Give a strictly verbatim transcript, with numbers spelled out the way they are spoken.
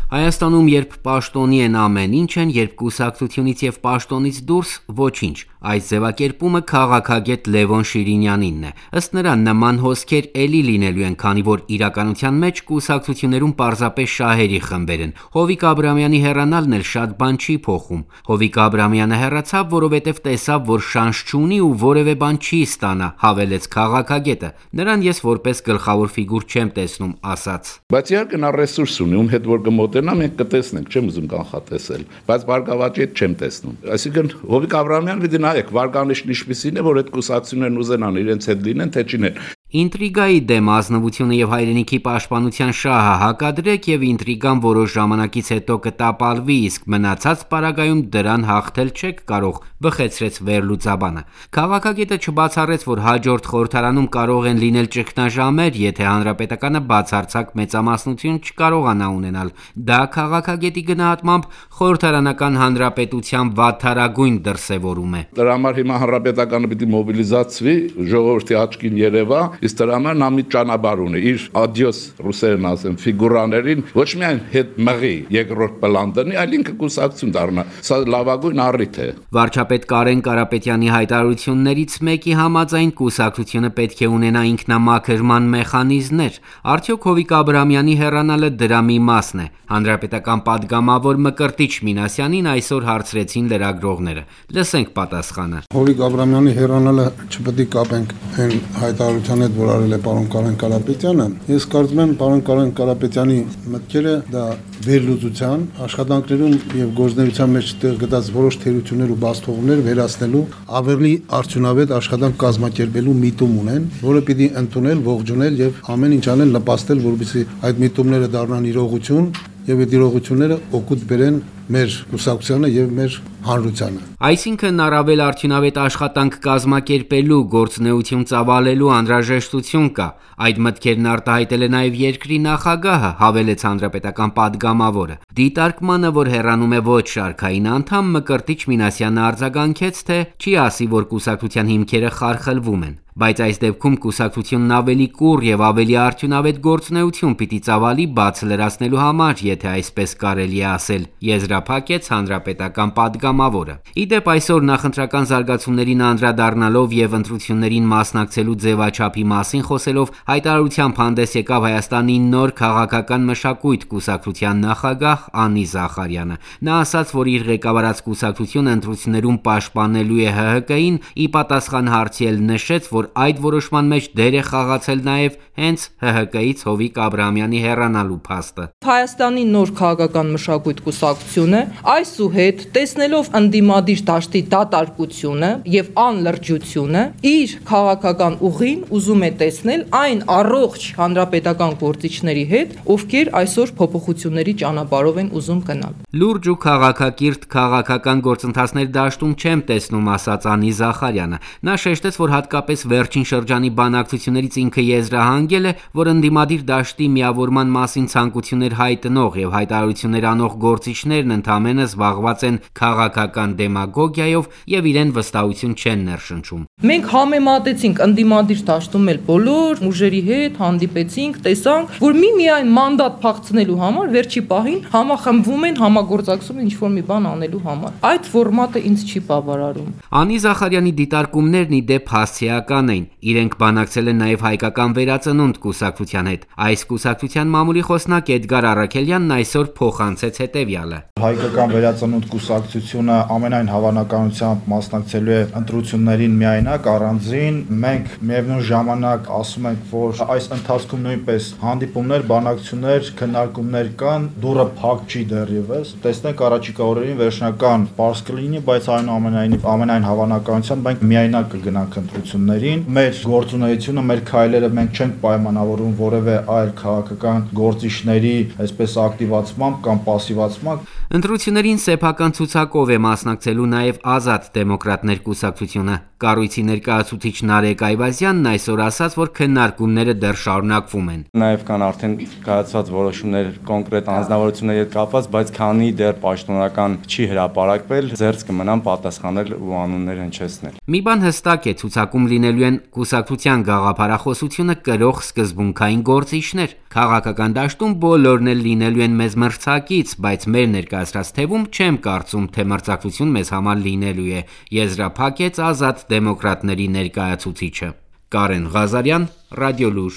Հայաստանում երբ պաշտոնի են ամեն ինչ են, երբ կուսակցությունից և պաշտոնից դուրս ոչինչ։ Այս ձևակերպումը քաղաքագետ Լևոն Շիրինյանինն է։ Ըստ նրա, նման հոսքեր էլի լինելու են, քանի որ իրականության մեջ կուսակցություններում պարզապես շահերի խմբեր են։ Հովիկ Աբրահամյանի հեռանալն էլ շատ բան չի փոխում։ Հովիկ Աբրահամյանը հեռացավ, որովհետև տեսավ, որ շանս չունի ու որևէ բան չի ստանա, հավելեց քաղաքագետը։ Նրան ես որպես գլխավոր ֆիգուր չեմ տեսնում, ասաց։ Բայց իհարկե նա ռեսուրս ունի, ում հետ որ կմոտենա, մենք կտեսնենք, չեմ ուզում կանխատեսել, բայց Վարգավաճի հետ չեմ տեսնում։ Այսինքն Հովիկ Աբրահամյանը պիտի նայեք, վարկանիշն ինչպիսին է, որ այդ կուսակցություններն ուզենան իրենց հետ լինեն, թե չինեն։ Ինտրիգայի դեմ ազնվությունը եւ հայրենիքի պաշտպանության շահը հակադրեք եւ ինտրիգան որոշ ժամանակից հետո կտապալվի, իսկ մնացած պարագայում դրան հաղթել չեք կարող, բխեցրեց վերլուծաբանը։ Քաղաքագետը չբացառեց, որ հաջորդ խորհրդարանում կարող են լինել ճգնաժամեր, եթե հանրապետականը բացարձակ մեծամասնություն չկարողանա ունենալ։ Դա քաղաքագետի գնահատմամբ խորհրդարանական հանրապետության վատթարագույն դրսևորում է։ Դրա համար հիմա հանրապետականը պիտի մոբիլիզացվի, ժողովրդի աչքին երևա, իսկ դրա համար նա մի ճանապարհ ունի, իր ադիոս ռուսերեն ասեմ ֆիգուրաներին, ոչ միայն հետ մղի երկրորդ պլան դնի, այլ ինքը կուսակցություն դառնա։ Սա լավագույն առիթ է։ Վարչապետ Կարեն Կարապետյանի հայտարարություններից մեկի համաձայն կուսակցությունը պետք է ունենա ինքնամաքրման մեխանիզմներ։ Արդյոք Հովիկ Աբրահամյանի հեռանալը դրա մի մասն է։ Հանրապետական падգամավոր Մկրտիչ Մինասյանին այսօր հարցրեցին լրագրողները։ Լսենք պատասխանը։ Հովիկ Աբրահամյանի հեռանալը չպետք է կապենք այն հայտարարության հետ, որ արել է պարոն Կարեն Կարապետյանը։ Ես կարծում եմ, պարոն Կարեն Կարապետյանի մտքերը դա վերլուծության, աշխատանքներում եւ գործունեության մեջ տեղ գտած որոշ թերություններ ու բացթողումներ վերացնելու ավելի արդյունավետ աշխատանք կազմակերպելու միտում ունեն, որը պիտի ընդունել, ողջունել եւ ամեն ինչ անել նպաստել, որպեսզի այդ միտումները դառնան իրողություն եւ այդ իրողությունները օգուտ բերեն մեր կուսակցությանը եւ մեր հանրությանը։ Այսինքն առավել արդյունավետ աշխատանք կազմակերպելու, գործունեություն ծավալելու անհրաժեշտություն կա։ Այդ մտքերն արտահայտել է նաև երկրի նախագահը, հավելեց հանրապետական падգամավորը։ Դիտարկմանը, որ հեռանում է ոչ շարքային անդամ, Մկրտիչ Մինասյանը արձագանքեց, թե չի ասի, որ կուսակցության հիմքերը խարխլվում են, բայց այս դեպքում կուսակցությունն ավելի կուռ եւ ավելի արդյունավետ գործունեություն պիտի ծավալի բաց լրացնելու համար, եթե այսպես կարելի է ասել, եզրափակեց հանրապետական падգամավորը։ Իդեպ այսօր նախընտրական զարգացումներին անդրադառնալով եւ ընտրություններին մասնակցելու ձևաչափի մասին խոսելով հայտարարությամբ հանդես եկավ Հայաստանի նոր քաղաքական մշակույթ կուսակցության նախագահ Անի Զախարյանը։ Նա ասաց, որ իր ղեկավարած կուսակցությունը ընտրություններում պաշտպանելու է Հ Հ Կ-ին, ի պատասխան հարցի էլ նշեց, որ այդ որոշման մեջ դեր է խաղացել նաև հենց Հ Հ Կ-ից Հովիկ Աբրահամյանի հեռանալու փաստը։ Հայաստանի նոր քաղաքական մշակույթ կուսակցությունը այսուհետ տեսնելով ընդդիմադիր դաշտի դատարկությունը եւ անլրջությունը իր քաղաքական ուղին ուզում է տեսնել այն առողջ հանրապետական գործիչների հետ, ովքեր այսօր փոփոխությունների ճանապարհով են ուզում գնալ։ Լուրջ ու քաղաքակիրթ քաղաքական գործընթացներ դաշտում չեմ տեսնում, ասաց Անի Զախարյանը։ Նա շեշտեց, որ հատկապես վերջին շրջանի բանակցություններից ինքը եզրահանգել է, որ ընդդիմադիր դաշտի միավորման մասին ցանկություններ հայտնող եւ հայտարարություններ անող գործիչներն ընդամենը զբաղված են քաղաքական դեմագոգիայով եւ իրեն վստահություն չեն ներշնչում։ Մենք համեմատեցինք ընդդիմադիր դաշտում էլ բոլոր ուժերի հետ հանդիպեցինք, տեսանք, որ միմիայն մանդատ փախցնելու համար վերջի պահին համախմբվում են, համագործակցում են ինչ-որ մի բան անելու համար։ Այդ ֆորմատը ինձ չի բավարարում։ Անի Զախարյանի դիտարկումներն ի դեպ հասցեական են։ Իրենք բանակցել են նաև հայկական վերածնունդ կուսակցության հետ։ Այս կուսակցության մամուլի խոսնակ Էդգար Առաքելյանն այսօր փոխանցեց հետևյալը։ Հայկական վերածնունդ կուսակցությունը ամենայն հավանականությամբ մասնակցելու է ընտրություններին միայնակ, առանձին։ Մենք միևնույն ժամանակ ասում ենք, որ այս ընթացքում նույնպես հանդիպումներ, բանակցություններ, քննարկումներ կան, դուռը փակ չի դեռևս։ Տեսնենք առաջիկա օրերին վերջնական պարզ կլինի, բայց այնուամենայնիվ ամենայն հավանականությամբ մենք միայնակ կգնանք ընտրություններին։ Մեր գործունեությունը, մեր քայլերը մենք չենք պայմանավորում որևէ այլ քաղաքական գործիչների այսպես ակտիվացմամբ կամ պասիվացմամբ։ Ընտրություններին սեփական ցուցակով է մասնակցելու նաև Ազատ դեմոկրատներ կուսակցությունը։ Կառույցի ներկայացուցիչ Նարեկ Այվազյանն այսօր ասաց, որ քննարկումները դեռ շարունակվում են։ Նաև կան արդեն կայացված որոշումներ կոնկրետ անձնավորությունների հետ կապված, բայց քանի դեռ պաշտոնական չի հրապարակվել, ձեռք կմնան պատասխանել ու անուններ հնչեցնել։ Մի բան հստակ է, ցուցակում լինելու են կուսակցության գաղափարախոսությունը կրող սկզբունքային գործիչներ։ Քաղաքական դաշտում բոլորն էլ լինելու են մեզ մրցակից, բայց մեր ներկայացրած թևում չեմ կարծում, թե մրցակցություն մեզ համար լինելու է, եզրափակեց Ազատ դեմոկրատների ներկայացուցիչը։ Կարեն Ղազարյան, Ռադիոլուր։